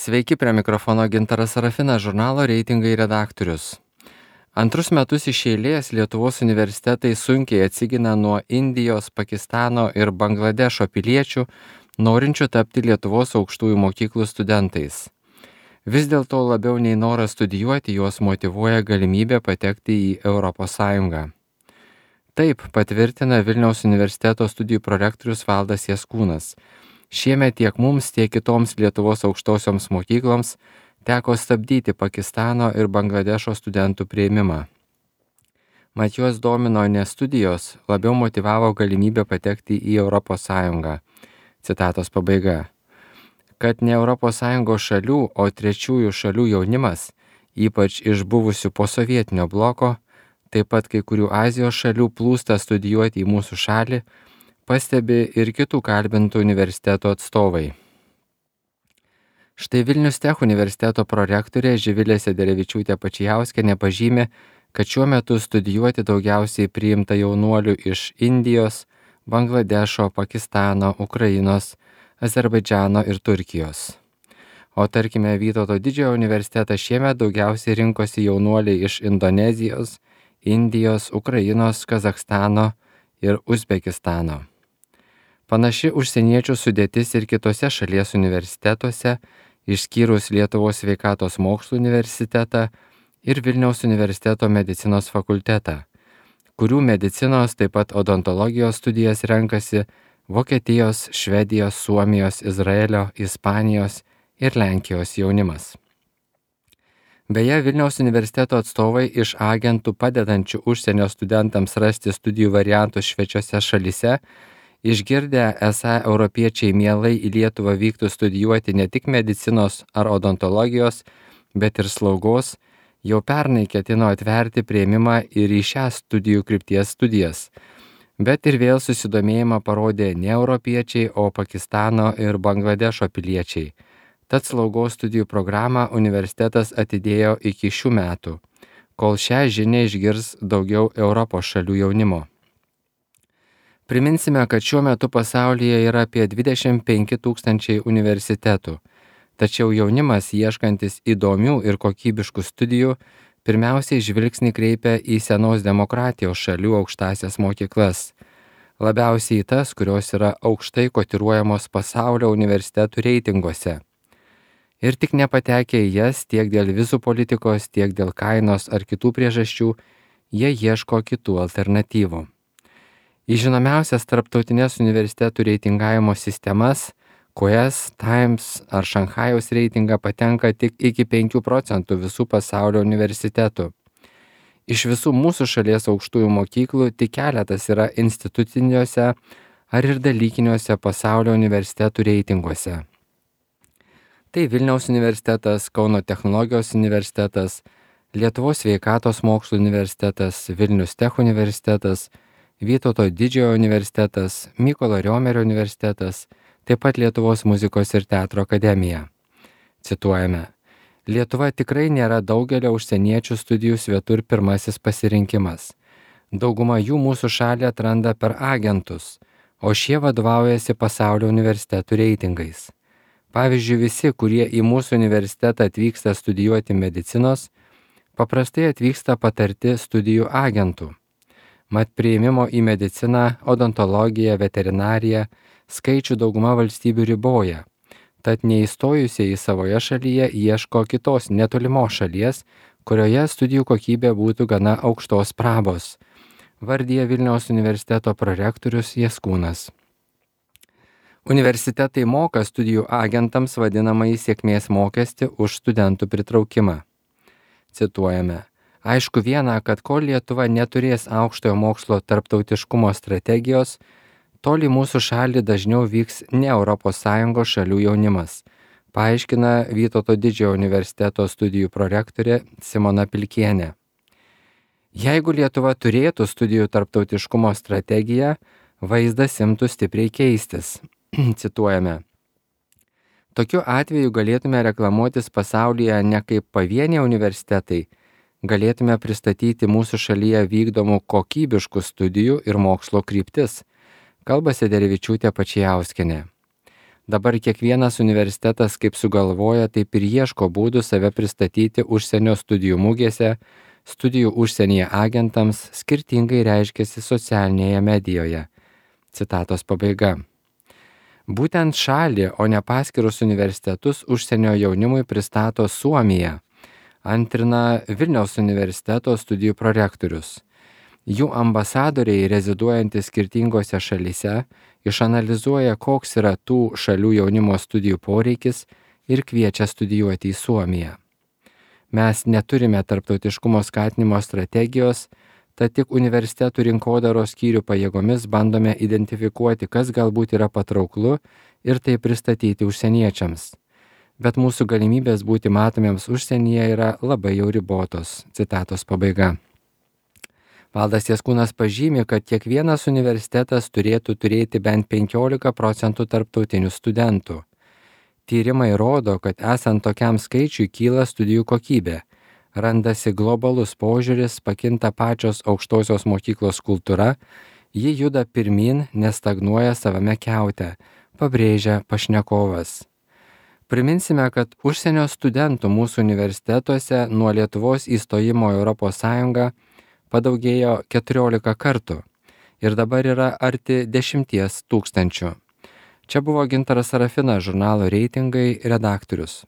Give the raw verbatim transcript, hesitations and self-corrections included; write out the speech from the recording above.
Sveiki, prie mikrofono Gintaras Sarafinas, žurnalo Reitingai redaktorius. Antrus metus iš eilės Lietuvos universitetai sunkiai atsigina nuo Indijos, Pakistano ir Bangladešo piliečių, norinčių tapti Lietuvos aukštųjų mokyklų studentais. Vis dėlto labiau nei noras studijuoti juos motyvuoja galimybė patekti į Europos Sąjungą. Taip patvirtina Vilniaus universiteto studijų prorektorius Valdas Jaskūnas. Šiemet tiek mums, tiek kitoms Lietuvos aukštosioms mokykloms teko stabdyti Pakistano ir Bangladešo studentų priėmimą. Mat juos domino ne studijos, labiau motyvavo galimybę patekti į Europos Sąjungą. Citatos pabaiga. Kad ne Europos Sąjungos šalių, o trečiųjų šalių jaunimas, ypač iš buvusių posovietinio bloko, taip pat kai kurių Azijos šalių plūsta studijuoti į mūsų šalį, pastebi ir kitų kalbintų universiteto atstovai. Štai Vilnius Tech universiteto prorektorė Živilė Sederevičiūtė Pačijauskienė pažymi, kad šiuo metu studijuoti daugiausiai priimta jaunuolių iš Indijos, Bangladešo, Pakistano, Ukrainos, Azerbaidžano ir Turkijos. O tarkime, Vytauto Didžiojo universitetas šiemet daugiausiai rinkosi jaunuoliai iš Indonezijos, Indijos, Ukrainos, Kazachstano ir Uzbekistano. Panaši užsieniečių sudėtis ir kitose šalies universitetuose, išskyrus Lietuvos sveikatos mokslų universitetą ir Vilniaus universiteto medicinos fakultetą, kurių medicinos taip pat odontologijos studijas renkasi Vokietijos, Švedijos, Suomijos, Izraelio, Ispanijos ir Lenkijos jaunimas. Beje, Vilniaus universiteto atstovai iš agentų padedančių užsienio studentams rasti studijų variantus švečiose šalyse, išgirdę, esą europiečiai mielai į Lietuvą vyktų studijuoti ne tik medicinos ar odontologijos, bet ir slaugos, jau pernai ketino atverti priėmimą ir į šią studijų krypties studijas. Bet ir vėl susidomėjimą parodė ne europiečiai, o Pakistano ir Bangladešo piliečiai. Tad slaugos studijų programą universitetas atidėjo iki šių metų, kol šią žinią išgirs daugiau Europos šalių jaunimo. Priminsime, kad šiuo metu pasaulyje yra apie dvidešimt penki tūkstančiai universitetų, tačiau jaunimas ieškantis įdomių ir kokybiškų studijų pirmiausiai žvilgsnį kreipia į senos demokratijos šalių aukštąsias mokyklas, labiausiai tas, kurios yra aukštai kotiruojamos pasaulio universitetų reitinguose. Ir tik nepatekę į jas tiek dėl vizų politikos, tiek dėl kainos ar kitų priežasčių, jie ieško kitų alternatyvų. Į žinomiausias tarptautinės universitetų reitingavimo sistemas, Quest, Times ar Šanchajaus reitingą patenka tik iki penkių procentų visų pasaulio universitetų. Iš visų mūsų šalies aukštųjų mokyklų tik keletas yra instituciniuose ar ir dalykiniuose pasaulio universitetų reitinguose. Tai Vilniaus universitetas, Kauno technologijos universitetas, Lietuvos sveikatos mokslų universitetas, Vilnius Tech universitetas, Vytauto Didžiojo universitetas, Mykolo Riomerio universitetas, taip pat Lietuvos muzikos ir teatro akademija. Cituojame. Lietuva tikrai nėra daugelio užsieniečių studijų svetur pirmasis pasirinkimas. Dauguma jų mūsų šalį atranda per agentus, o šie vadovaujasi pasaulio universitetų reitingais. Pavyzdžiui, visi, kurie į mūsų universitetą atvyksta studijuoti medicinos, paprastai atvyksta patarti studijų agentų. Mat priėmimo į mediciną, odontologiją, veterinariją skaičių dauguma valstybių riboja, tad neįstojusieji savoje šalyje ieško kitos netolimos šalies, kurioje studijų kokybė būtų gana aukštos prabos, vardija Vilniaus universiteto prorektorius Jaskūnas. Universitetai moka studijų agentams vadinamąjį sėkmės mokestį už studentų pritraukimą. Cituojame. Aišku viena, kad kol Lietuva neturės aukštojo mokslo tarptautiškumo strategijos, tol į mūsų šalį dažniau vyks ne Europos Sąjungos šalių jaunimas, paaiškina Vytauto Didžiojo universiteto studijų prorektorė Simona Pilkienė. Jeigu Lietuva turėtų studijų tarptautiškumo strategiją, vaizdas imtų stipriai keistis. Cituojame. Tokiu atveju galėtume reklamuotis pasaulyje ne kaip pavieniai universitetai, galėtume pristatyti mūsų šalyje vykdomų kokybiškų studijų ir mokslo kryptis, kalba Sederevičiūtė Pačijauskienė. Dabar kiekvienas universitetas kaip sugalvoja, taip ir ieško būdų save pristatyti užsienio studijų mugėse, studijų užsienyje agentams skirtingai reiškiasi socialinėje medijoje. Citatos pabaiga. Būtent šalį, o ne paskirus universitetus užsienio jaunimui pristato Suomija, antrina Vilniaus universiteto studijų prorektorius. Jų ambasadoriai, reziduojantys skirtingose šalyse, išanalizuoja, koks yra tų šalių jaunimo studijų poreikis ir kviečia studijuoti į Suomiją. Mes neturime tarptautiškumo skatinimo strategijos, tad tik universitetų rinkodaros skyrių pajėgomis bandome identifikuoti, kas galbūt yra patrauklu ir tai pristatyti užsieniečiams. Bet mūsų galimybės būti matomiems užsienyje yra labai jau ribotos. Citatos pabaiga. Valdas Jaskūnas pažymi, kad kiekvienas universitetas turėtų turėti bent penkiolika procentų tarptautinių studentų. Tyrimai rodo, kad esant tokiam skaičiui kyla studijų kokybė, randasi globalus požiūris, pakinta pačios aukštosios mokyklos kultūra, ji juda pirmyn, nestagnuoja savame kiaute, pabrėžia pašnekovas. Priminsime, kad užsienio studentų mūsų universitetuose nuo Lietuvos įstojimo į Europos Sąjungą padaugėjo keturiolika kartų ir dabar yra arti dešimties tūkstančių. Čia buvo Gintaras Sarafinas, žurnalo Reitingai redaktorius.